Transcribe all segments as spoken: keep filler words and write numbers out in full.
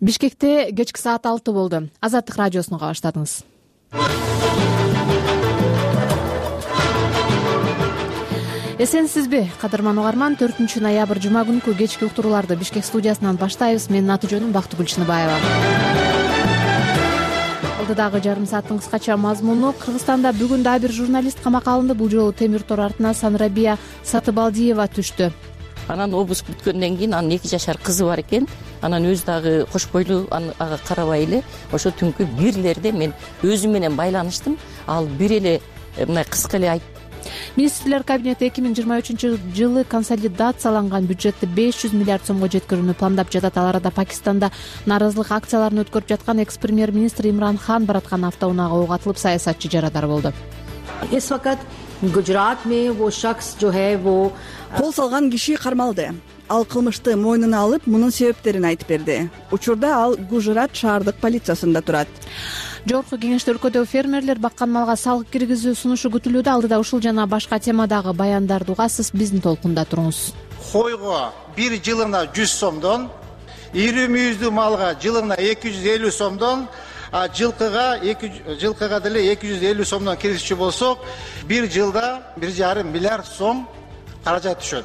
Бишкекте кечки саат алты болду. Азаттык радиосуну уга баштадыңыз. Эсенсизби, кадырман угарман? төртүнчү ноябрь жума күнкү кечки уктурууларды Бишкек студиясынан баштайбыз. Менин аты жөнүм Бактыгүл Чыныбаева. Алдыдагы жарым сааттын кыскача мазмуну: Кыргызстанда бүгүн дагы бир журналист камакка алынды. Бул жолу темир тор артына Санрабия Сатыбалдиева түштү. Анан обыск бүткөндөн кийин анын эки жашар кызы бар экен. Анан өзү дагы кош бойлуу, ага карабай эле ошо түнкү бирлерде мен өзүм менен байланыштым. Ал бир эле мындай кыска эле айтты. Министрлер кабинети эки миң жыйырма үчүнчү жылы консолидацияланган бюджетти беш жүз миллиард сомго жеткирүүнү пландап жатат. Ал арада Пакистанда нааразылык акцияларын өткөрүп жаткан экс премьер-министр Имран Хан бараткан автоунаага ок атылып, саясатчы жарадар болду. इस वक्त गुजरात में वो शख्स जो है वो кол салган киши кармалды. Ал кылмышты мойнуна алып, мунун себептерин айтып берди. Учурда ал Гужрат шаардык полициясында турат. Жогорку кеңеште өлкөдөгү фермерлер баккан малга салык киргизүү сунушу күтүлүүдө. Алдыда ушул жана башка темадагы баяндарды угасыз. Биздин толкунда туруңуз. Койго бир жылына жүз сомдон, ири мүйүздүү малга жылына эки жүз элүү сомдон, а жылкыга жылкыга деле эки жүз элүү сомдон киргизчү болсок, бир жылда бир жарым миллиард сом каражат түшөт.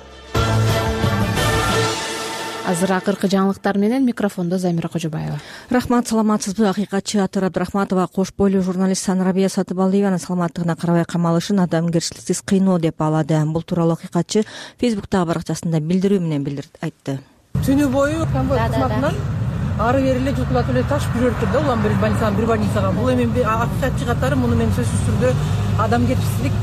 Азыр акыркы жаңылыктар менен микрофондо Замира Кожобаева. Рахмат, саламатсызбы? Акыйкатчы Атыр Абдрахматова кош бойлуу журналист Санрабия Сатыбалдиеванын саламаттыгына карабай камалышын адамгерчиликсиз кыйноо деп баалады. Бул тууралуу акыйкатчы Фейсбуктагы баракчасында билдирүү менен билдирди, айтты. Түнү бою конвой кызматынан ары бери эле жылкылатып эле ташып жүрүп турду улам бир больницага, бир больницага. Бул эми акыйкатчы катары муну мен сөзсүз түрдө адамгерчилик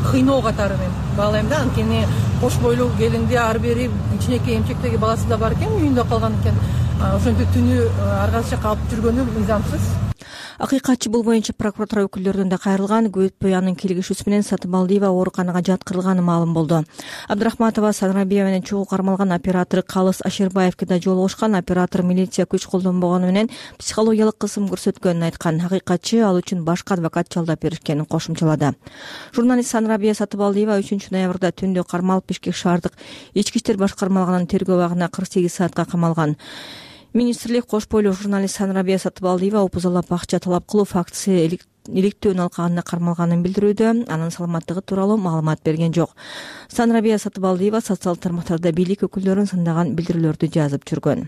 кыйноо катары мен баалайм да. Анткени кош бойлуу келинди ары бери кичинекей эмчектеги баласы да бар экен, үйүндө калган экен. Ошентип түнү ар кайсы жака алып жүргөнү мыйзамсыз. Акыйкатчы бул боюнча прокуратура өкүлдөрүнөн да кайрылган. Көп өтпөй анын киргизүүсү менен Сатыбалдиева ооруканага жаткырылганы маалым болду. Абдрахматова Санрабия менен чогуу кармалган оператор Калыс Ашербаевке да жолугушкан. Оператор милиция күч колдонбогону менен психологиялык кысым көрсөткөнүн айткан. Акыйкатчы ал үчүн башка адвокат жалдап беришкенин кошумчалады. Журналист Санрабия Сатыбалдиева үчүнчү ноябрда түндө кармалып Бишкек шаардык ички иштер башкармалыгынын тергөө абагына кырк сегиз саатка камалган. Министрлик кош бойлуу журналист Санрабия Сатыбалдиева опузалап акча талап кылуу фактысы иликтөөнүн алкагында кармалганын билдирүүдө. Анын саламаттыгы тууралуу маалымат берген жок. Санрабия Сатыбалдиева социалдык тармактарда бийлик өкүлдөрүн сындаган билдирүүлөрдү жазып жүргөн.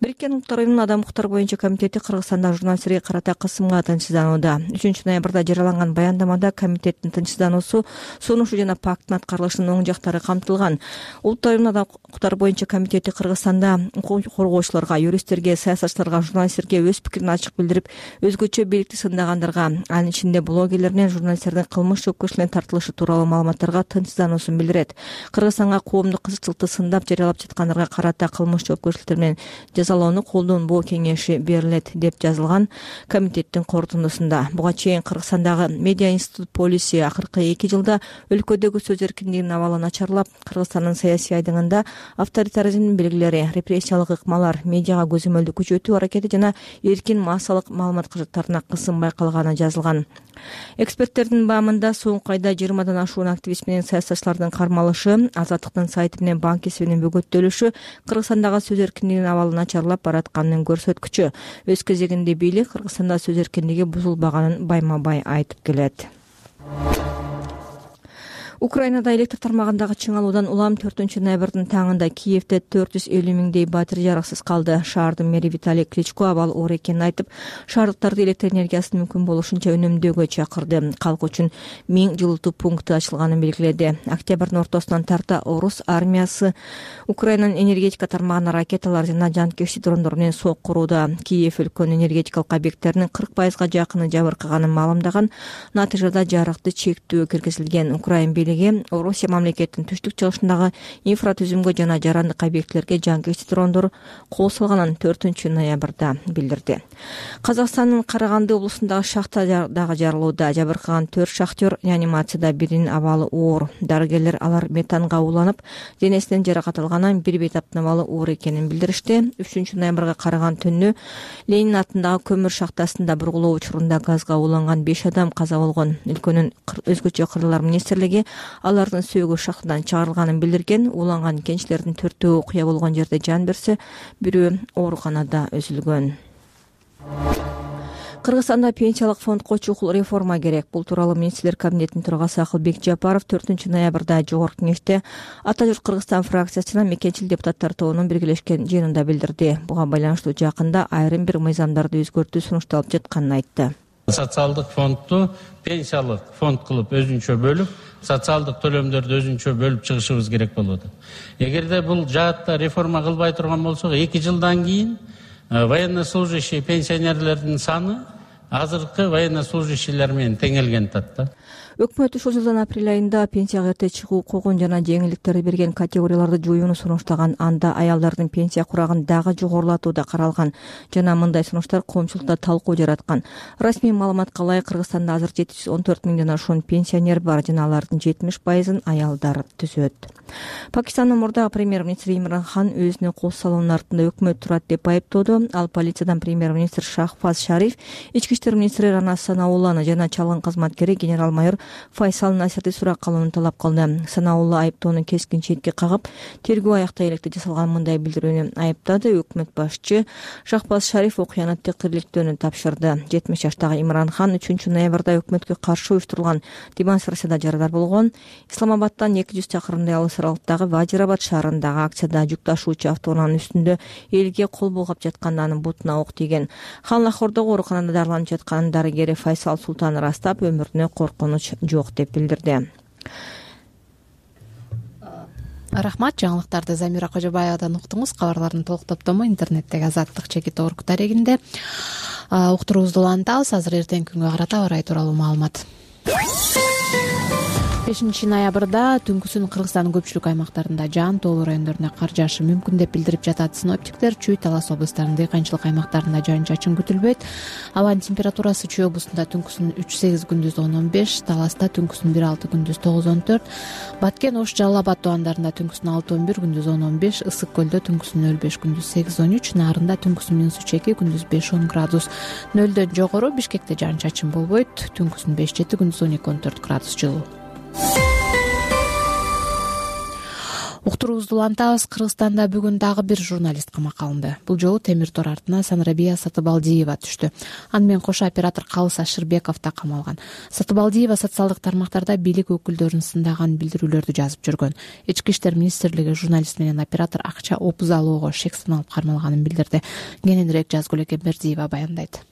Бириккен Улуттар Уюмунун адам укуктары боюнча комитети Кыргызстанда журналисттерге карата кысымга тынчсызданууда. үчүнчү ноябрда жарыяланган баяндамада комитеттин тынчсыздануусу, сунушу жана пакттын аткарылышынын оң жактары камтылган. Улуттар Уюмунун адам укуктары боюнча комитети Кыргызстанда укук коргоочуларга, юристтерге, саясатчыларга, журналисттерге өз пикирин ачык билдирип, өзгөчө бийликти сындагандарга, анын ичинде блогерлер менен журналисттердин кылмыш жоопкерчиликке тартылышы тууралуу маалыматтарга тынчсыздануусун билдирет. Кыргызстанга коомдук кызыкчылыкты сындап жарыялап жаткандарга карата кылмыш жоопкерчиликтер менен жазалоону колдонбоо кеңеши берилет деп жазылган комитеттин корутундусунда. Буга чейин Кыргызстандагы Медиа институт полиси акыркы эки жылда өлкөдөгү сөз эркиндигинин абалы начарлап, Кыргызстандын саясий айдыңында авторитаризмдин белгилери, репрессиялык ыкмалар, медиага көзөмөлдү күчөтүү аракети жана эркин массалык маалымат каражаттарына кысым байкалганы жазылган. Эксперттердин баамында соңку айда жыйырмадан ашуун активист менен саясатчылардын кармалышы, Азаттыктын сайты менен банк эсебинин бөгөттөлүшү Кыргызстандагы сөз эркиндигинин абалы начарлап баратканын көрсөткүчү. Өз кезегинде бийлик Кыргызстанда сөз эркиндиги бузулбаганын байма-бай айтып келет. Украинада электр тармагындагы чыңалуудан улам төртүнчү ноябрдын таңында Киевде төрт жүз элүү миңдей батирей жарыксыз калды. Шаардын мэри Виталий Кличко абал оор экенин айтып, шаардыктарды электр энергиясын мүмкүн болушунча үнөмдөөгө чакырды. Калк үчүн миң жылытуу пункту ачылганын белгиледи. Октябрдын ортосунан тарта орус армиясы Украинанын энергетика тармагына ракеталар жана жанкечтик дрондор менен сок курууда. Киев өлкөнүн энергетикалык объекттеринин кырк пайызга жакыны жабыркаганын маалымдаган. Натыйжада жарыкты чектөө киргизилген. Украин Орусия мамлекеттин түштүк чыгышындагы инфратүзүмгө жана жарандык объектилерге жанкечтик дрондор кол салганын төртүнчү ноябрда билдирди. Казакстандын Караганды облусундагы шахта дагы жарылууда. Жабыркаган төрт шахтер реанимацияда, биринин абалы оор. Дарыгерлер алар метанга уланып, денесинен жаракат алганын, бир бейтаптын абалы оор экенин билдиришти. үчүнчү ноябрга караган түнү Ленин атындагы көмүр шахтасында бургулоо учурунда газга уланган беш адам каза болгон. Өлкөнүн өзгөчө кырлар министрлиги алардын сөөгү шахтадан чыгарылганын билдирген. Уланган кенчилердин төртөө окуя болгон жерде жан берсе, бирөө ооруканада үзүлгөн. Кыргызстанда пенсиялык фондко чукул реформа керек. Бул тууралуу министрлер кабинетинин төрагасы Акылбек Жапаров төртүнчү ноябрда жогорку кеңеште Ата журт Кыргызстан фракциясына мекенчил депутаттар тобунун биргелешкен жыйынында билдирди. Буга байланыштуу жакында айрым бир мыйзамдарды өзгөртүү сунушталып жатканын айтты. Социалдык фондду пенсиялык фонд кылып өзүнчө бөлүп, социалдык төлөмдөрдү өзүнчө бөлүп чыгышыбыз керек болот. Эгерде бул жаатта реформа кылбай турган болсок, эки жылдан кийин военнослужащий пенсионерлердин саны азыркы военнослужащийлер менен теңелген атат да. Өкмөт ушул жылдын апрель айында пенсияга эрте чыгуу укугун жана жеңилдиктерди берген категорияларды жоюуну сунуштаган. Анда аялдардын пенсия курагын дагы жогорулатуу да каралган жана мындай сунуштар коомчулукта талкуу жараткан. Расмий маалыматка ылайык Кыргызстанда азыр жети жүз он төрт миңден ашуун пенсионер бар жана алардын жетимиш пайызын аялдар түзөт. Пакистандын мурдагы премьер-министри Имран Хан өзүнө кол салуунун артында өкмөт турат деп айыптоодо. Ал полициядан премьер-министр Шахбаз Шариф, ички иштер министри Рана Санаулланы жана чалгын кызматкери генерал-майор Файсал Насирди сурак кылууну талап кылды. Санаулла айыптоону кескин четке кагып, тергөө аяктай электе жасалган мындай билдирүүнү айыптады. Өкмөт башчы Шахбаз Шариф окуяны текирликтөөнү тапшырды. жетимиш жаштагы Имран Хан үчүнчү ноябрда өкмөткө каршы уюштурулган демонстрацияда жарадар болгон. Исламабадтан эки жүз чакырымдай алыс аралыктагы Ваджирабад шаарындагы акцияда жүк ташуучу автоунаанын үстүндө элге кол булгап жатканда анын бутуна ок тийген. Хан Лахордогу ооруканада дарыланып жатканын дарыгери Файсал Султан ырастап, өмүрүнө коркунуч жок деп билдирди. Рахмат, жаңылыктарды Замира Кожобаевадан уктуңуз. Кабарлардын толук топтому интернеттеги Азаттык чекит орг дарегинде уктуруубузду улантабыз. Азыр эртеңки күнгө карата аба ырайы тууралуу маалымат. бешинчи ноябрда түнкүсүн Кыргызстандын көпчүлүк аймактарында жаан тоолуу райондорунда кар жаашы мүмкүн деп билдирип жатат синоптиктер. Чүй, Талас облустарынын дыйканчылык аймактарында жаан-чачын күтүлбөйт. Абанын температурасы Чүй облусунда түнкүсүн үч сегиз, күндүз он он беш, Таласта түнкүсүн бир алты, күндүз тогуз он төрт, Баткен, Ош, Жалал Абад тубандарында түнкүсүн алты он бир, күндүз он он беш, Ысык көлдө түнкүсүн нөл беш, күндүз сегиз он үч, Нарында түнкүсүн минус үч эки, күндүз беш он градус. Нөлдөн жогору Бишкекте жаан-чачын болбойт. Түнкүсүн беш жети, күндүз он эки он төрт градус жылуу. Уктуруубузду улантабыз. Кыргызстанда бүгүн дагы бир журналист камакка алынды. Бул жолу темир тор артына Санрабия Сатыбалдиева түштү. Аны менен кошо оператор Калыс Ашырбеков да камалган. Сатыбалдиева социалдык тармактарда бийлик өкүлдөрүн сындаган билдирүүлөрдү жазып жүргөн. Ички иштер министрлиги журналист менен оператор акча опуз алууга шек саналып кармалганын билдирди. Кененирээк Жазгүлөк Эмбердиева баяндайт.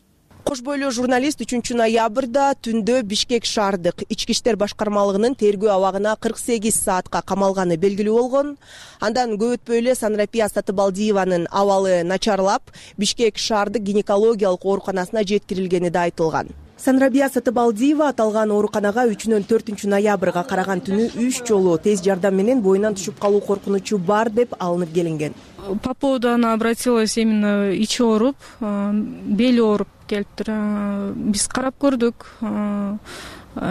Кош бойлуу журналист үчүнчү ноябрда түндө Бишкек шаардык ички иштер башкармалыгынын тергөө абагына кырк сегиз саатка камалганы белгилүү болгон. Андан көп өтпөй эле Санрапия Сатыбалдиеванын абалы начарлап, Бишкек шаардык гинекологиялык ооруканасына жеткирилгени да айтылган. Санрабия Сатыбалдиева аталган ооруканага үчүнөн төртүнчү ноябрга караган түнү үч жолу тез жардам менен боюнан түшүп калуу коркунучу бар деп алынып келинген. По поводу она обратилась именно ичи ооруп, бели ооруп келиптир. Биз карап көрдүк.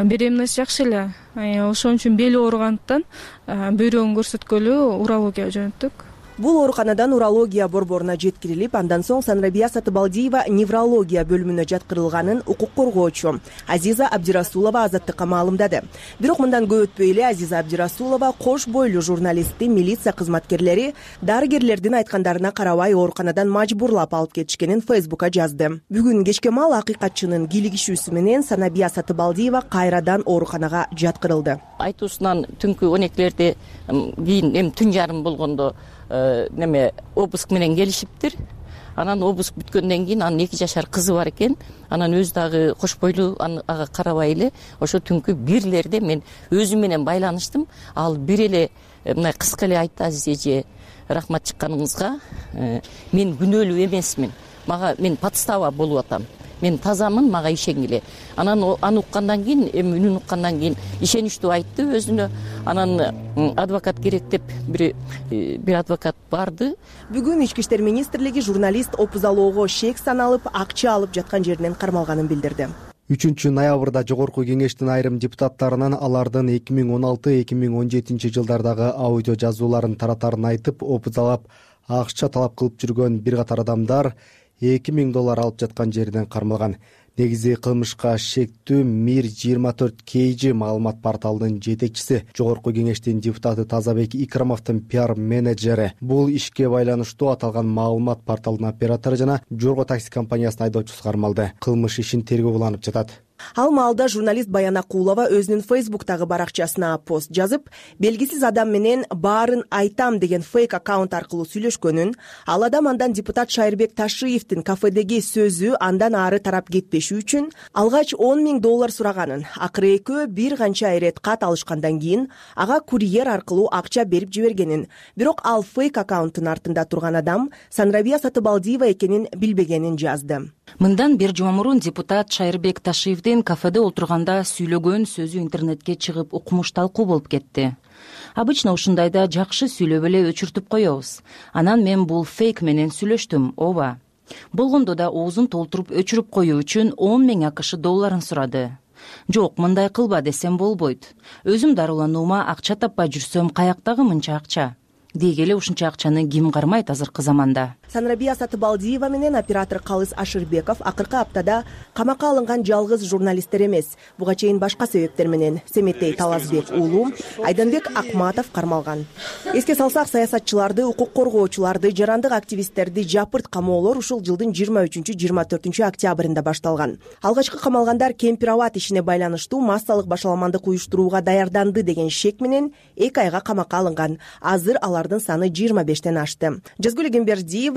Беременность жакшы эле. Ошон үчүн бели ооругандыктан бөйрөгүн көрсөткөлү урологияга жөнөттүк. Бул ооруканадан урология борборуна жеткирилип, андан соң Санрабия Сатыбалдиева неврология бөлүмүнө жаткырылганын укук коргоочу Азиза Абдирасулова Азаттыкка маалымдады. Бирок мындан көп өтпөй эле Азиза Абдирасулова кош бойлуу журналистти милиция кызматкерлери дарыгерлердин айткандарына карабай ооруканадан мажбурлап алып кетишкенин Фейсбукка жазды. Бүгүн кечке маал акыйкатчынын кийлигишүүсү менен Санрабия Сатыбалдиева кайрадан ооруканага жаткырылды. Айтуусунан түнкү он экилерде кийин эми түн жарым болгондо неме обыск менен келишиптир. Анан обыск бүткөндөн кийин анын эки жашар кызы бар экен. Анан өзү дагы кош бойлуу, ага карабай эле ошо түнкү бирлерде мен өзүм менен байланыштым. Ал бир эле мындай кыска эле айтты: Азиз эже, рахмат чыкканыңызга. Мен күнөөлүү эмесмин. Мага мен подстава болуп атам. Мен тазамын, мага ишенгиле. Анан аны уккандан кийин, эми үнүн уккандан кийин ишеничтүү айтты өзүнө. Анан адвокат керек деп бир бир адвокат барды. Бүгүн Ички иштер министрлиги журналист опуз алоого шек саналып, акча алып жаткан жеринен кармалганын билдирди. үчүнчү ноябрда жогорку кеңештин айрым депутаттарынан алардын эки миң он алты эки миң он жетинчи жылдардагы аудио жазууларын таратарын айтып, опуз алып, акча талап кылып жүргөн бир катар адамдар эки миң доллар алып жаткан жеринен кармалган. негизи кылмышка шектүү мир жыйырма төрт kg маалымат порталынын жетекчиси, жогорку кеңештин депутаты Тазабек Икрамовдун пиар менеджери. Бул ишке байланыштуу аталган маалымат порталынын оператору жана Жорго такси компаниясынын айдоочусу кармалды. Кылмыш ишин тергөө уланып жатат. Ал маалда журналист Баян Акулова өзүнүн Фейсбуктагы баракчасына пост жазып, белгисиз адам менен баарын айтам деген фейк аккаунт аркылуу сүйлөшкөнүн, ал адам андан депутат Шайырбек Ташиевдин кафедеги сөзү андан ары тарап кетпеши үчүн алгач он миң доллар сураганын, акыры экөө бир канча ирет кат алышкандан кийин ага курьер аркылуу акча берип жибергенин, бирок ал фейк аккаунттун артында турган адам Санрабия Сатыбалдиева экенин билбегенин жазды. Мындан бир жума мурун депутат Шайырбек Ташиевдин кафеде отурганда сүйлөгөн сөзү интернетке чыгып укмуш талкуу болуп кетти. Обычно ушундайда жакшы сүйлөп эле өчүртүп коебуз. Анан мен бул фейк менен сүйлөштүм, ооба. Болгондо да оозун толтуруп өчүрүп коюу үчүн он миң акш долларын сурады. Жок, мындай кылба десем болбойт. Өзүм дарылануума акча таппай жүрсөм, каяктагы мынча акча? Деги эле ушунча акчаны ким кармайт азыркы заманда? Санрабия Сатыбалдиева менен оператор Калыс Ашырбеков акыркы аптада камакка алынган жалгыз журналисттер эмес. Буга чейин башка себептер менен Семетей Талазбек уулу, Айданбек Акматов кармалган. Эске салсак, саясатчыларды, укук коргоочуларды, жарандык активисттерди жапырт камоолор ушул жылдын жыйырма үчүнчү жыйырма төртүнчү октябрында башталган. Алгачкы камалгандар Кемпир Абад ишине байланыштуу массалык башаламандык уюштурууга даярданды деген шек менен эки айга камакка алынган. Азыр алардын саны жыйырма бештен ашты. Жазгүл Эгембердиева.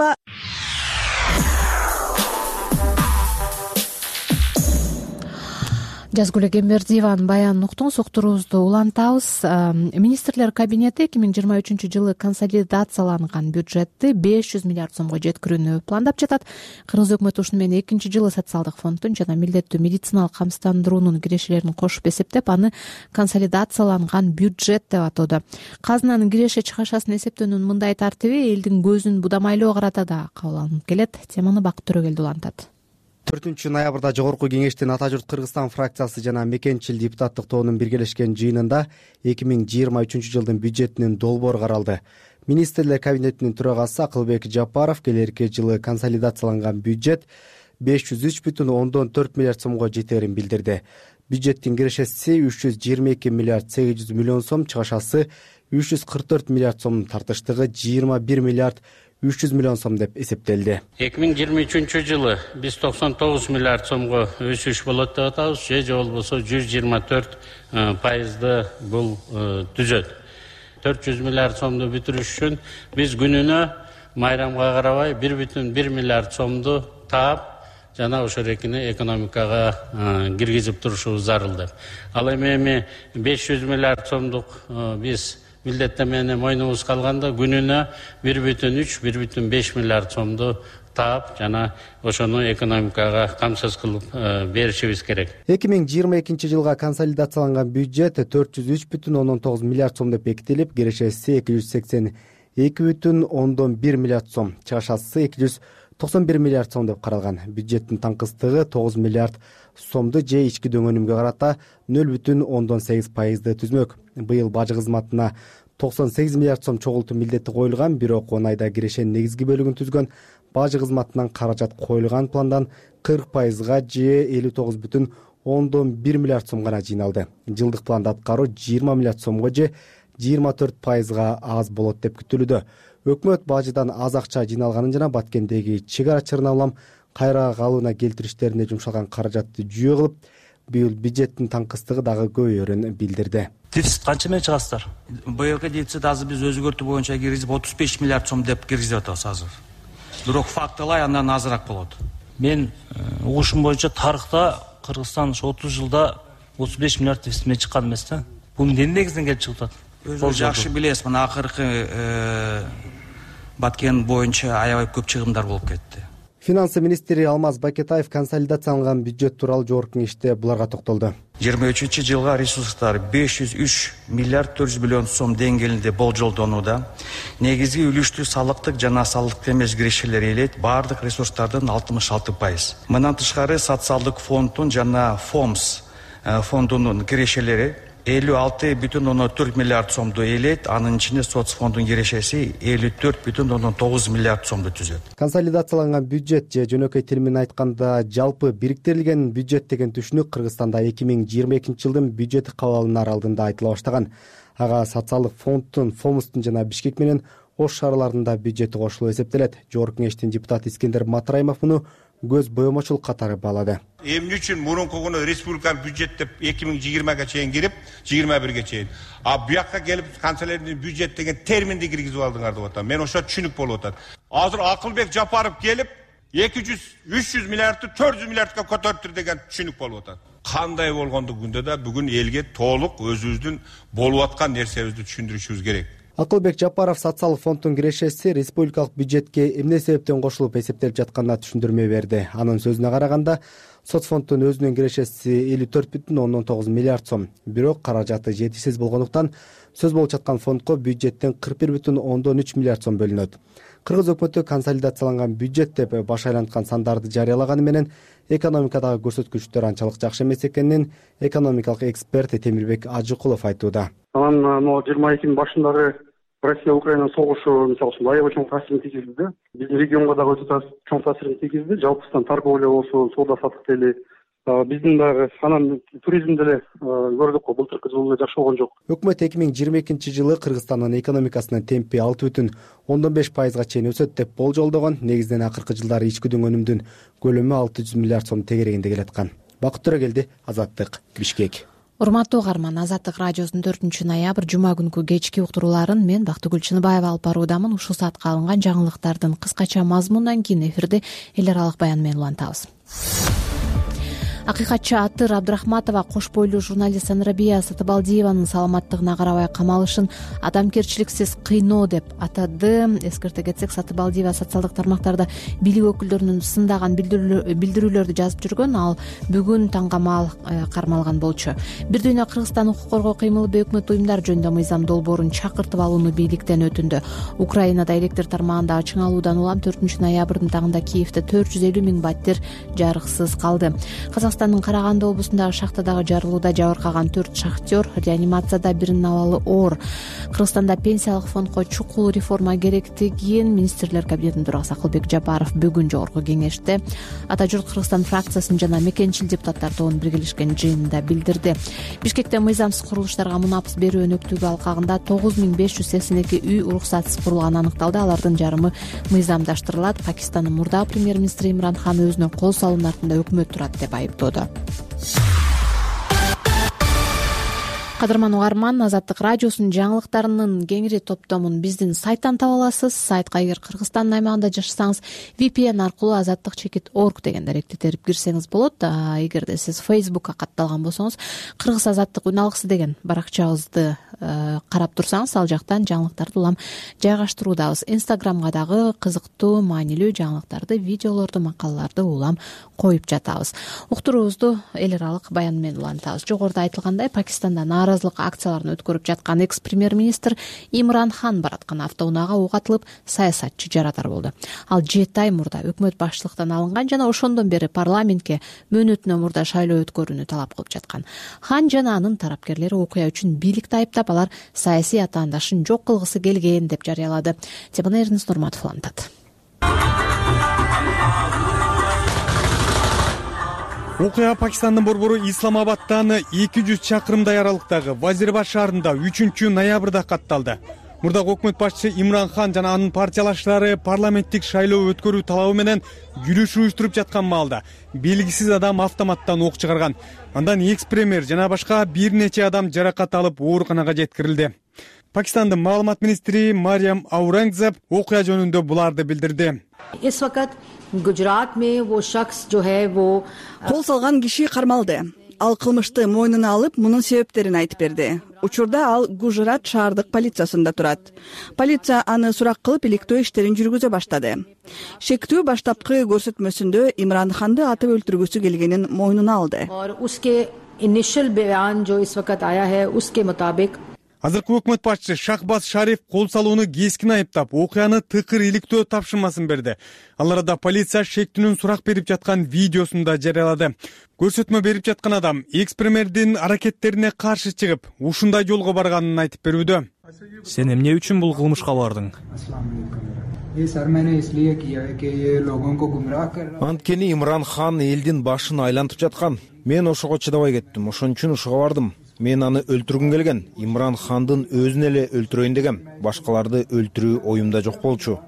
Жазгүл Эгембердиеванын баянын уктуңуз, уктуруубузду улантабыз. Министрлер кабинети эки миң жыйырма үчүнчү жылы консолидацияланган бюджетти беш жүз миллиард сомго жеткирүүнү пландап жатат. Кыргыз өкмөтү ушуну менен экинчи жылы социалдык фонддун жана милдеттүү медициналык камсыздандыруунун кирешелерин кошуп эсептеп, аны консолидацияланган бюджет деп атоодо. Казынанын киреше чыгашасын эсептөөнүн мындай тартиби элдин көзүн будамайлоо карата да кабыл алынып келет. Теманы Бакыт Төрөгелди улантат. төртүнчү ноябрда жогорку кеңештин Ата журт Кыргызстан фракциясы жана Мекенчил депутаттык тобунун биргелешкен жыйынында эки миң жыйырма үчүнчү жылдын бюджетинин долбоору каралды. Министрлер кабинетинин төрагасы Акылбек Жапаров келерки жылы консолидацияланган бюджет беш жүз үч бүтүн ондон төрт миллиард сомго жетерин билдирди. Бюджеттин кирешеси үч жүз жыйырма эки миллиард сегиз жүз миллион сом, чыгашасы үч жүз кырк төрт миллиард сом, тартыштыгы жыйырма бир миллиард үч жүз миллион сом деп эсептелди. эки миң жыйырма үчүнчү жылы биз токсон тогуз миллиард сомго өсүш болот деп атабыз, же же болбосо жүз жыйырма төрт пайызды бул түзөт. төрт жүз миллиард сомду бүтүрүш үчүн биз күнүнө майрамга карабай бир бүтүн бир миллиард сомду таап, жана ошол экини экономикага киргизип турушубуз зарыл деп. Ал эми эми беш жүз миллиард сомдук биз милдеттемени мойнубузга калганда күнүнө бир бүтүн үч бир бүтүн беш миллиард сомду таап, жана ошону экономикага камсыз кылып беришибиз керек. эки миң жыйырма экинчи жылга консолидацияланган бюджет төрт жүз үч бүтүн ондон тогуз миллиард сом деп бекитилип, кирешеси эки жүз сексен эки бүтүн ондон бир миллиард сом, чыгашасы эки жүз токсон бир миллиард сом деп каралган. Бюджеттин таңкыстыгы тогуз миллиард сомду же ички дөңөнүмгө карата нөл бүтүн ондон сегиз пайызды түзмөк. Быйыл бажы кызматына токсон сегиз миллиард сом чогултуу милдети коюлган, бирок он айда кирешенин негизги бөлүгүн түзгөн бажы кызматынан каражат коюлган пландан кырк пайызга же элүү тогуз бүтүн ондон бир миллиард сом гана жыйналды. Жылдык планда аткаруу жыйырма миллиард сомго же жыйырма төрт пайызга аз болот деп күтүлүүдө. Өкмөт бажыдан аз акча жыйналганын жана Баткендеги чек ара чырына улам кайра калыбына келтириштерине жумшалган каражатты жүйө кылып, быйыл бюджеттин таңкыстыгы дагы көбөйөрүн билдирди. Дефицит канча менен чыгасыздар? Быйылкы дефицит азыр биз өзгөртүү боюнча киргизип отуз беш миллиард сом деп киргизип атабыз азыр. Бирок фактылай андан азыраак болот. Мен угушум боюнча тарыхта Кыргызстан ушу отуз жылда отуз беш миллиард дефицит менен чыккан эмес да. Бул эмне негизинен келип чыгып атат? Өзүңүз жакшы билесиз, мына акыркы Баткен боюнча аябай көп чыгымдар болуп кетти. Финансы министри Алмаз Бакетаев консолидацияланган бюджет тууралуу жогорку кеңеште буларга токтолду. жыйырма үчүнчү жылга ресурстар беш жүз үч миллиард төрт жүз миллион сом деңгээлинде болжолдонууда. Негизги үлүштү салыктык жана салыктык эмес кирешелер ээлейт баардык ресурстардын алтымыш алты пайыз. Мындан тышкары социалдык фонддун жана ФОМС фондунун кирешелери элүү алты бүтүн ондон төрт миллиард сомду ээлейт. Анын ичинде соц фондунун кирешеси элүү төрт бүтүн ондон тогуз миллиард сомду түзөт. Консолидацияланган бюджет же жөнөкөй тил менен айтканда жалпы бириктирилген бюджет деген түшүнүк Кыргызстанда эки миң жыйырма экинчи жылдын бюджети кабыл алынаар алдында айтыла баштаган. Ага социалдык фонддун, Фомустун жана Бишкек менен Ош шаарларында бюджети кошулуп эсептелет. Жогорку кеңештин депутаты Искендер Матраимов муну көз боемочулук катары баалады. Эмне үчүн мурунку республиканын бюджет деп эки миң жыйырмага чейин кирип, жыйырма бирге чейин. А буякка келип канцелярдын бюджет деген терминди киргизип алдыңар деп атам. Мен ошо түшүнүк болуп атат. Азыр Акылбек Жапаров келип эки жүз үч жүз миллиардты төрт жүз миллиардка көтөрүптүр деген түшүнүк болуп атат. Кандай болгондугунда да бүгүн элге толук өзүбүздүн болуп аткан нерсебизди түшүндүрүшүбүз керек. Акылбек Жапаров социалдык фонддун кирешеси республикалык бюджетке эмне себептен кошулуп эсептелип жатканына түшүндүрмө берди. Анын сөзүнө караганда, соцфонддун өзүнүн кирешеси элүү төрт бүтүн ондон тогуз миллиард сом. Бирок каражаты жетишсиз болгондуктан сөз болуп жаткан фондко бюджеттен кырк бир бүтүн ондон үч миллиард сом бөлүнөт. Кыргыз өкмөтү консолидацияланган бюджет деп баш айланткан сандарды жарыялаганы менен экономикадагы көрсөткүчтөр анчалык жакшы эмес экенин экономикалык эксперт Темирбек Ажыкулов айтууда. Анан могу жыйырма экинин башындагы Россия Украина согушу мисалы үчүн аябай чоң таасирин тийгизди да. Биздин регионго дагы өтө чоң таасирин тийгизди. Жалпысынан торговля болсун, соода саттык деле, биздин дагы анан туризм деле көрдүк го, былтыркы жылы жакшы болгон жок. Өкмөт эки миң жыйырма экинчи жылы Кыргызстандын экономикасынын темпи алты бүтүн ондон беш пайызга чейин өсөт деп болжолдогон. Негизинен акыркы жылдары ичкүдүн өнүмдүн көлөмү алты жүз миллиард сом тегерегинде келаткан. Бакыт Төрөгелди, Азаттык, Бишкек. Урматтуу угарман, Азаттык радиосунун төртүнчү ноябрь жума күнкү кечки уктурууларын мен Бактыгүл Чыныбаева алып баруудамын. Ушул саатка алынган жаңылыктардын кыскача мазмунунан кийин эфирде эл аралык баян менен улантабыз. Акыйкатчы Атыр Абдрахматова кош бойлуу журналист Санрабия Сатыбалдиеванын саламаттыгына карабай камалышын адамгерчиликсиз кыйноо деп атады. Эскерте кетсек, Сатыбалдиева социалдык тармактарда бийлик өкүлдөрүнүн сындаган билдирүүлөрдү жазып жүргөн, ал бүгүн таңгамал кармалган болчу. Бир дүйнө Кыргызстан укук коргоо кыймылы өкмөт уюмдар жөнүндө мыйзам долбоорун чакыртып алууну бийликтен өтүндү. Украинада электр тармагында чыңалуудан улам төртүнчү ноябрдын тагында Киевде төрт жүз элүү миң баттер жарыксыз калды. Казакстандын Караганды облусундагы шахтадагы жарылууда жабыркаган төрт шахтер реанимацияда, биринин абалы оор. Кыргызстанда пенсиялык фондко чукул реформа керектигин министрлер кабинетинин төрагасы Акылбек Жапаров бүгүн жогорку кеңеште Ата журт Кыргызстан фракциясынын жана мекенчил депутаттар тобунун биргелешкен жыйынында билдирди. Бишкекте мыйзамсыз курулуштарга мунапыс берүү өнөктүгү алкагында тогуз миң беш жүз сексен эки үй уруксатсыз курулганы аныкталды. Алардын жарымы мыйзамдаштырылат. Пакистандын мурдагы премьер-министри Имран Хан өзүнө кол салуунун артында өкмөт турат деп айыптооду. Кадырман угарман, Азаттык радиосунун жаңылыктарынын кеңири топтомун биздин сайттан таба аласыз. Сайтка эгер Кыргызстандын аймагында жашасаңыз, ви пи эн аркылуу азаттык чекит орг деген даректи терип кирсеңиз болот. Эгерде сиз Фейсбукка катталган болсоңуз, Кыргыз азаттык үн алгысы деген баракчабызды карап турсаңыз, ал жактан жаңылыктарды улам жайгаштыруудабыз. Инстаграмга дагы кызыктуу, маанилүү жаңылыктарды, видеолорду, макалаларды улам коюп жатабыз. Уктуруубузду эл аралык баян менен улантабыз. Жогоруда айтылгандай, Пакистанда нааразылык акцияларын өткөрүп жаткан экс-премьер-министр Имран Хан бараткан автоунаага ок атылып, саясатчы жарадар болду. Ал жети ай мурда өкмөт башчылыктан алынган жана ошондон бери парламентке мөөнөтүнөн мурда шайлоо өткөрүүнү талап кылып жаткан. Хан жана анын тарапкерлери окуя үчүн бийликти айыптап, алар саясий атаандашын жок кылгысы келген деп жарыялады. Теманы Эрнис Нурматов улантат. Окуя Пакистандын борбору Исламабадтан эки жүз чакырымдай аралыктагы Вазирбад шаарында үчүнчү ноябрда катталды. Мурдагы өкмөт башчысы Имран Хан жана анын партиялаштары парламенттик шайлоо өткөрүү талабы менен жүрүш уюштуруп жаткан маалда белгисиз адам автоматтан ок чыгарган. Андан экс-премьер жана башка бир нече адам жаракат алып ооруканага жеткирилди. Пакистандын маалымат министри Мариям Аурангзеб окуя жөнүндө буларды билдирди. इस वक्त गुजरात में वो शख्स जो है वो кол салган киши кармалды. Ал кылмышты мойнуна алып, мунун себептерин айтып берди. Учурда ал Гужрат шаардык полициясында турат. Полиция аны сурак кылып, иликтөө иштерин жүргүзө баштады. Шектүү баштапкы көрсөтмөсүндө Имран Ханды атып өлтүргүсү келгенин мойнуна алды. और उसके इनिशियल बयान जो इस वक्त आया है उसके मुताबिक Азыркы өкмөт башчысы Шахбаз Шариф кол салууну кескин айыптап, окуяны тыкыр иликтөө тапшырмасын берди. Ал арада полиция шектүүнүн сурак берип жаткан видеосун да жарыялады. Көрсөтмө берип жаткан адам экс-премьердин аракеттерине каршы чыгып, ушундай жолго барганын айтып берүүдө. Сен эмне үчүн бул кылмышка бардың? Анткени Имран хан элдин башын айлантып жаткан. Мен ошого чыдабай кеттим. Ошон үчүн ушуга бардым. Мен аны өлтүргүм келген. Имран хандын өзүн эле өлтүрөйүн дегем. Башкаларды өлтүрүү оюмда жок болчу.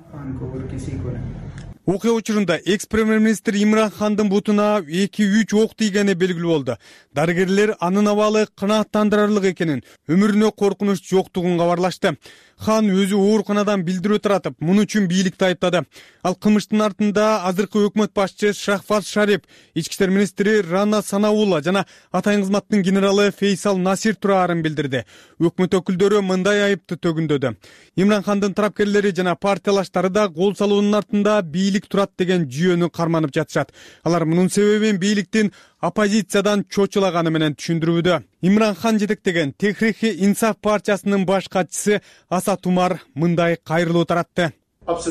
Окуя учурунда экс-премьер-министр Имран хандын бутуна эки үч ок тийгени белгилүү болду. Дарыгерлер анын абалы канааттандырарлык экенин, өмүрүнө коркунуч жоктугун кабарлашты. Хан өзү ооруканадан билдирүү таратып, муну үчүн бийликти айыптады. Ал кылмыштын артында азыркы өкмөт башчысы Шахбаз Шариф, ички иштер министри Рана Санаулла жана атайын кызматтын генералы Фейсал Насир турарын билдирди. Өкмөт өкүлдөрү мындай айыпты төгүндөдү. Имран хандын тарапкерлери жана партиялаштары да кол салуунун артында бийлик турат деген жүйөнү карманып жатышат. Алар мунун себебин бийликтин оппозициядан чочулаганы менен түшүндүрүүдө. Имран хан жетектеген Техрихи Инсаф партиясынын баш катчысы Асат Умар мындай кайрылуу таратты. Аз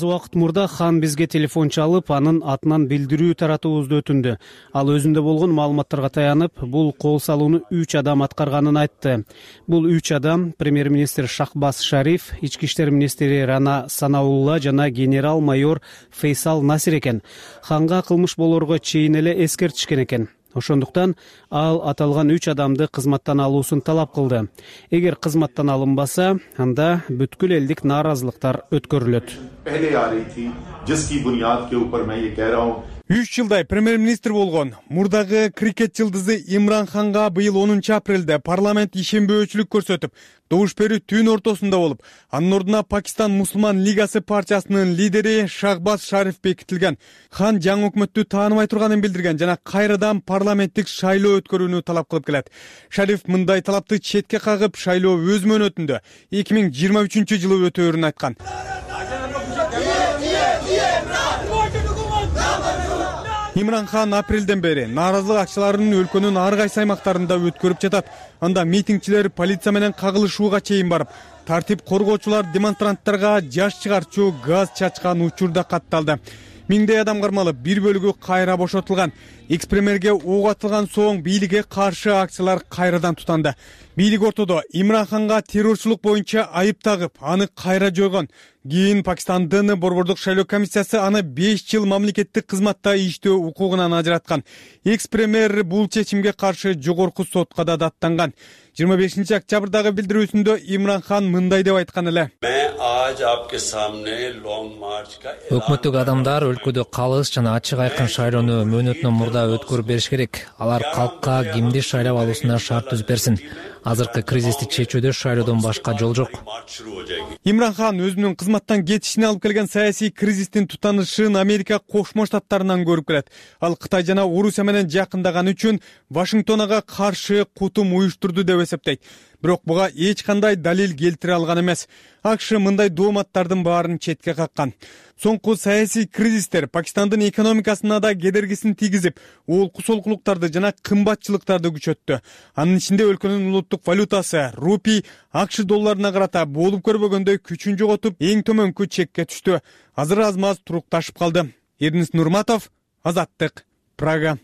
убакыт мурда хан бизге телефон чалып, анын атынан билдирүү таратуубузду өтүндү. Ал өзүндө болгон маалыматтарга таянып, бул кол салууну үч адам аткарганын айтты. Бул үч адам премьер-министр Шахбаз Шариф, ички иштер министри Рана Санаулла жана генерал-майор Фейсал Насир экен. Ханга кылмыш болорго чейин эле эскертишкен экен. Ошондуктан ал аталган үч адамды кызматтан алуусун талап кылды. Эгер кызматтан алынбаса, анда бүткүл элдик нааразылыктар өткөрүлөт. үч жылдай премьер-министр болгон мурдагы крикет жылдызы Имран ханга быйыл онунчу апрелде парламент ишенбөөчүлүк көрсөтүп, добуш берүү түн ортосунда болуп, анын ордуна Пакистан Мусулман лигасы партиясынын лидери Шахбаз Шариф бекитилген. Хан жаңы өкмөттү тааныбай турганын билдирген жана кайрадан парламенттик шайлоо өткөрүүнү талап кылып келет. Шариф мындай талапты четке кагып, шайлоо өз мөөнөтүндө эки миң жыйырма үчүнчү жылы өтөөрүн айткан. Имран хан апрелден бери нааразылык акчаларын өлкөнүн ар кайсы аймактарында өткөрүп жатат. Анда митингчилер полиция менен кагылышууга чейин барып, тартип коргоочулар демонстранттарга жаш чыгарчу газ чачкан учур да катталды. Миңдей адам кармалып, бир бөлүгү кайра бошотулган. Экс-премьерге ок атылган соң бийликке каршы акциялар кайрадан тутанды. Бийлик ортодо Имран ханга террорчулук боюнча айып тагып, аны кайра жойгон. Кийин Пакистандын борбордук шайлоо комиссиясы аны беш жыл мамлекеттик кызматта иштөө укугунан ажыраткан. Экс-премьер бул чечимге каршы жогорку сотко да даттанган. жыйырма бешинчи октябрдагы билдирүүсүндө Имран хан мындай деп айткан эле. Өкмөттүк адамдар өлкөдө калыс жана ачык айкын шайлоону мөөнөтүнөн мурда өткөрүп бериш керек. Алар калкка кимди шайлап алуусуна шарт түзүп берсин. Азыркы кризисти чечүүдө шайлоодон башка жол жок. Имран хан өзүнүн кызматтан кетишине алып келген саясий кризистин тутанышын Америка Кошмо Штаттарынан көрүп келет. Ал Кытай жана Орусия менен жакындаганы үчүн Вашингтон ага каршы кутум уюштурду деп эсептейт. Бирок буга эч кандай далил келтире алган эмес. АКШ мындай дооматтардын баарын четке каккан. Соңку саясий кризистер Пакистандын экономикасына да кедергисин тийгизип, олку солкулуктарды жана кымбатчылыктарды күчөттү. Анын ичинде өлкөнүн улуттук валютасы рупий АКШ долларына карата болуп көрбөгөндөй күчүн жоготуп, эң төмөнкү чекке түштү. Азыр аз-маз турукташып калды. Эрнис Нурматов, Азаттык, Прага.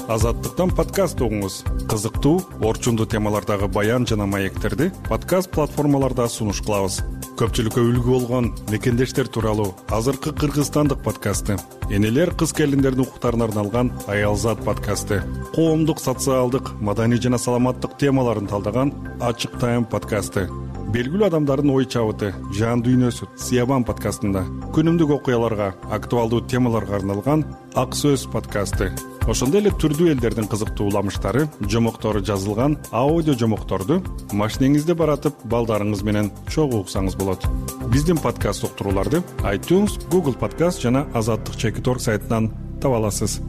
Азаттыктан подкаст угуңуз. Кызыктуу, орчундуу темалардагы баян жана маектерди подкаст платформаларда сунуш кылабыз. Көпчүлүккө үлгү болгон мекендештер тууралуу азыркы кыргызстандык подкасты, энелер кыз келиндердин укуктарына арналган Аялзат подкасты, коомдук, социалдык, маданий жана саламаттык темаларын талдаган Ачык Тайм подкасты, белгилүү адамдардын ой чабыты, жан дүйнөсү Сиябан подкастында, күнүмдүк окуяларга, актуалдуу темаларга арналган Ак Сөз подкасты. Ошондой эле түрдүү элдердин кызыктуу уламыштары, жомоктору жазылган аудио жомокторду машинеңизде баратып, балдарыңыз менен чогуу уксаңыз болот. Биздин подкаст уктурууларды iTunes, Google Podcast жана азаттык чекит точка орг сайтынан таба аласыз.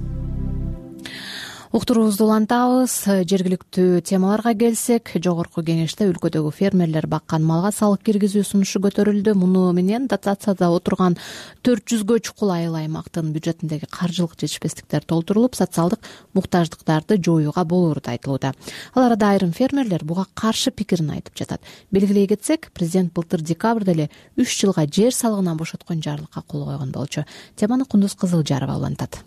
Уктуруубузду улантабыз. Жергиликтүү темаларга келсек, жогорку кеңеште өлкөдөгү фермерлер баккан малга салык киргизүү сунушу көтөрүлдү. Муну менен дотацияда отурган төрт жүзгө чукул айыл аймактын бюджетиндеги каржылык жетишпестиктер толтурулуп, социалдык муктаждыктарды жоюуга болоору да айтылууда. Ал арада айрым фермерлер буга каршы пикирин айтып жатат. Белгилей кетсек, президент былтыр декабрда эле үч жылга жер салыгынан бошоткон жарлыкка кол койгон болчу. Теманы Кундуз Кызылжарова улантат.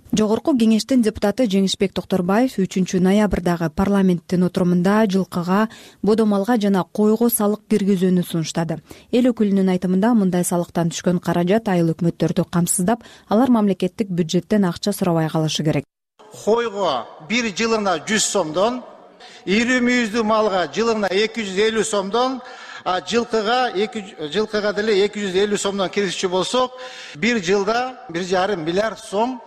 Жогорку кеңештин депутаты Жеңишбек Токторбаев үчүнчү ноябрдагы парламенттин отурумунда жылкыга, бодомалга жана койго салык киргизүүнү сунуштады. Эл өкүлүнүн айтымында мындай салыктан түшкөн каражат айыл өкмөттөрдү камсыздап, алар мамлекеттик бюджеттен акча сурабай калышы керек. Койго бир жылына жүз сомдон, ири мүйүздүү малга жылына эки жүз элүү сомдон, а жылкыга жылкыга деле эки жүз элүү сомдон киргизчү болсок, бир жылда бир жарым миллиард сом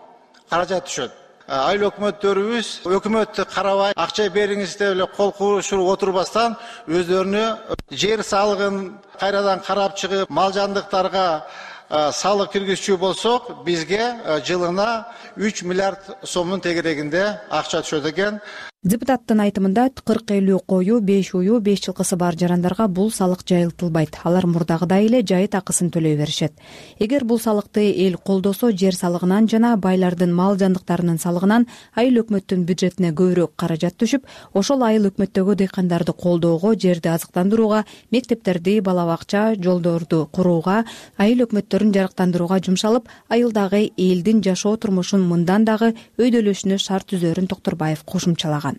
каражат түшөт. Айыл өкмөттөрүбүз өкмөттү карабай, акча бериңиз деп эле кол куушуруп отурбастан өздөрүнө жер салыгын кайрадан карап чыгып, мал жандыктарга салык киргизчү болсок, бизге жылына үч миллиард сомдун тегерегинде акча түшөт экен. Депутаттын айтымында кырк элүү кою, беш уюу, беш жылкысы бар жарандарга бул салык жайылтылбайт. Алар мурдагыдай эле жайыт акысын төлөй беришет. Эгер бул салыкты эл колдосо, жер салыгынан жана байлардын мал жандыктарынын салыгынан айыл өкмөттүн бюджетине көбүрөөк каражат түшүп, ошол айыл өкмөттөгү дыйкандарды колдоого, жерди азыктандырууга, мектептерди, бала бакча, жолдорду курууга, айыл өкмөттөрүн жарыктандырууга жумшалып, айылдагы элдин жашоо турмушун мындан дагы өйдөлөшүнө шарт түзөрүн Токторбаев кошумчалаган.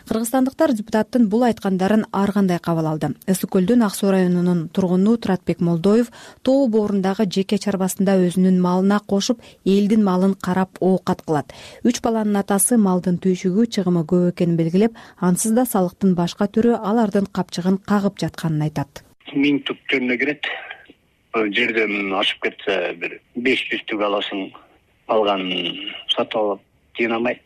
Кыргызстандыктар депутаттын бул айткандарын ар кандай кабыл алды. Ысык көлдүн Ак суу районунун тургуну Туратбек Молдоев тоо боорундагы жеке чарбасында өзүнүн малына кошуп, элдин малын карап оокат кылат. Үч баланын атасы малдын түйшүгү, чыгымы көп экенин белгилеп, ансыз да салыктын башка түрү алардын капчыгын кагып жатканын айтат. Миң тук жөнүнө кирет. Жерден ашып кетсе бир беш жүз тук аласың, алганын сатып алып жыйнамайт.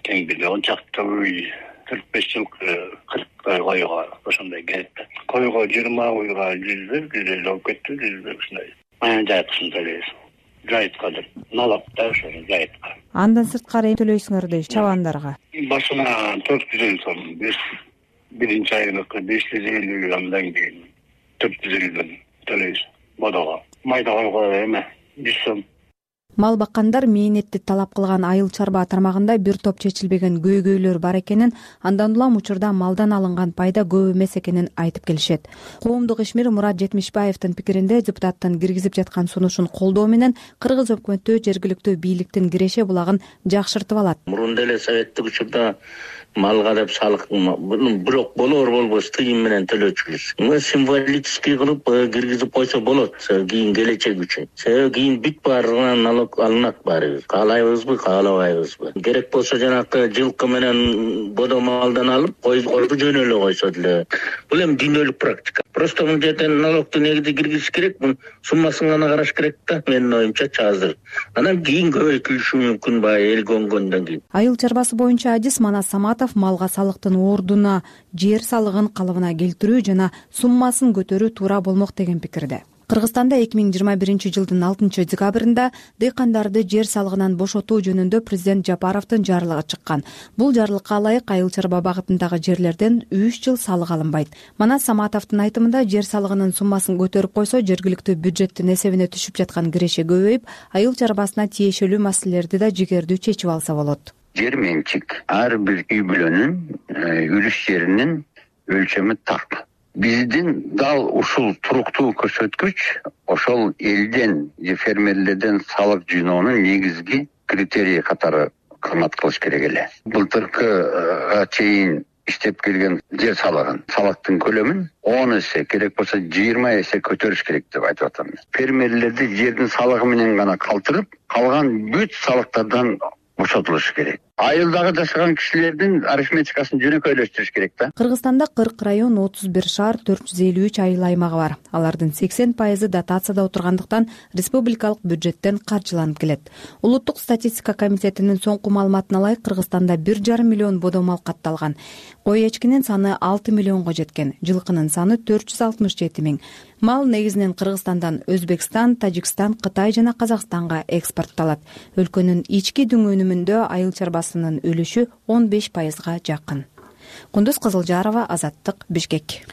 Тең бир он чакты уй төрт беш жыл кырк койго ошондой келет. Койго жыйырма уйга жүз, жүз элүү алып кетти, жүз ушундай. Жайыткысын төлөйбүз. Жайытка деп налап да ошо жайытка. Андан сырткары эми төлөйсүңөр дейт чабандарга. Башына төрт жүз элүү сом, биринчи айыныка беш жүз элүү, андан кийин төрт жүз элүүдөн төлөйбүз. Бодого майда койго эме жүз сом. Мал баккандар мээнетти талап кылган айыл чарба тармагында бир топ чечилбеген көйгөйлөр бар экенин, андан улам учурда малдан алынган пайда көп эмес экенин айтып келишет. Коомдук ишмер Мурат Жетимишбаевдин пикиринде, депутаттын киргизип жаткан сунушун колдоо менен кыргыз өкмөтү жергиликтүү бийликтин киреше булагын жакшыртып алат. Мурун деле советтик учурда малга деп салык бирок болор болбос тыйым менен төлөчүбүз. Мына символический кылып киргизип койсо болот, кийин келечек үчүн. Себеби кийин бүт баарынан налог алынат баары. Каалайбызбы, каалабайбызбы. Керек болсо жанакы жылкы менен бодомалдан алып, койду жөн эле койсо деле. Бул эми дүйнөлүк практика. Просто мына жерден налогду негизи киргизиш керек, мун суммасын гана караш керек да, менин оюмча азыр. Анан кийин көбөйтүлүшү мүмкүн баы эл көнгөндөн кийин. Айыл чарбасы боюнча адис Манас Саматов малга салыктын ордуна жер салыгын калыбына келтирүү жана суммасын көтөрүү туура болмок деген пикирде. Кыргызстанда эки миң жыйырма биринчи жылдын алтынчы декабрында дыйкандарды жер салыгынан бошотуу жөнүндө президент Жапаровдун жарлыгы чыккан. Бул жарлыкка ылайык айыл чарба багытындагы жерлерден үч жыл салык алынбайт. Манас Саматовдун айтымында, жер салыгынын суммасын көтөрүп койсо, жергиликтүү бюджеттин эсебине түшүп жаткан киреше көбөйүп, айыл чарбасына тиешелүү маселелерди да жигердүү чечип алса болот. Жер менчик ар бир үй бүлөнүн үлүш жеринин өлчөмү так. Биздин дал ушул туруктуу көрсөткүч ошол элден же фермерлерден салык жыйноонун негизги критерии катары кызмат кылыш керек эле. Былтыркыга чейин иштеп келген жер салыгын, салыктын көлөмүн он эсе, керек болсо жыйырма эсе көтөрүш керек деп айтып атам. Фермерлерди жердин салыгы менен гана калтырып, калган бүт салыктардан бошотулуш керек. Айылдагы жашаган кишилердин арифметикасын жөнөкөйлөштүрүш керек да. Кыргызстанда кырк район, отуз бир шаар, төрт жүз элүү үч айыл аймагы бар. Алардын сексен пайызы дотацияда отургандыктан республикалык бюджеттен каржыланып келет. Улуттук статистика комитетинин соңку маалыматына ылайык, Кыргызстанда бир жарым миллион бодомал катталган. Кой эчкинин саны алты миллионго жеткен, жылкынын саны төрт жүз алтымыш жети миң. Мал негизинен Кыргызстандан Өзбекстан, Тажикстан, Кытай жана Казакстанга экспортталат. Өлкөнүн ички дүң өнүмүндө айыл чарбасы баасынын үлүшү он беш пайызга жакын. Кундуз Кызылжарова, Азаттык, Бишкек.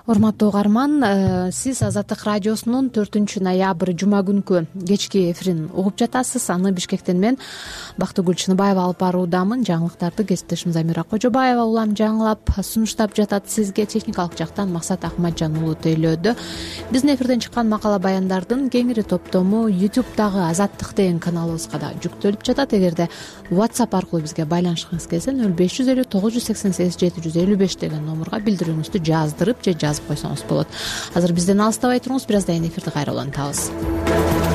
Урматтуу угарман, сиз Азаттык радиосунун төртүнчү ноябрь жума күнкү кечки эфирин угуп жатасыз. Аны Бишкектен мен Бактыгүл Чыныбаева алып баруудамын. Жаңылыктарды кесиптешим Замира Кожобаева улам жаңылап сунуштап жатат сизге. Техникалык жактан Максат Акматжан уулу тейлөөдө. Биздин эфирден чыккан макала баяндардын кеңири топтому ютубтагы Азаттык деген каналыбызга да жүктөлүп жатат. Эгерде WhatsApp аркылуу бизге байланышкыңыз келсе нөл беш жүз элүү тогуз жүз сексен сегиз жети жүз элүү беш деген номурга билдирүүңүздү жаздырып же жазып койсоңуз болот. Азыр бизден алыстабай туруңуз, бир аздан кийин эфирди кайра улантабыз.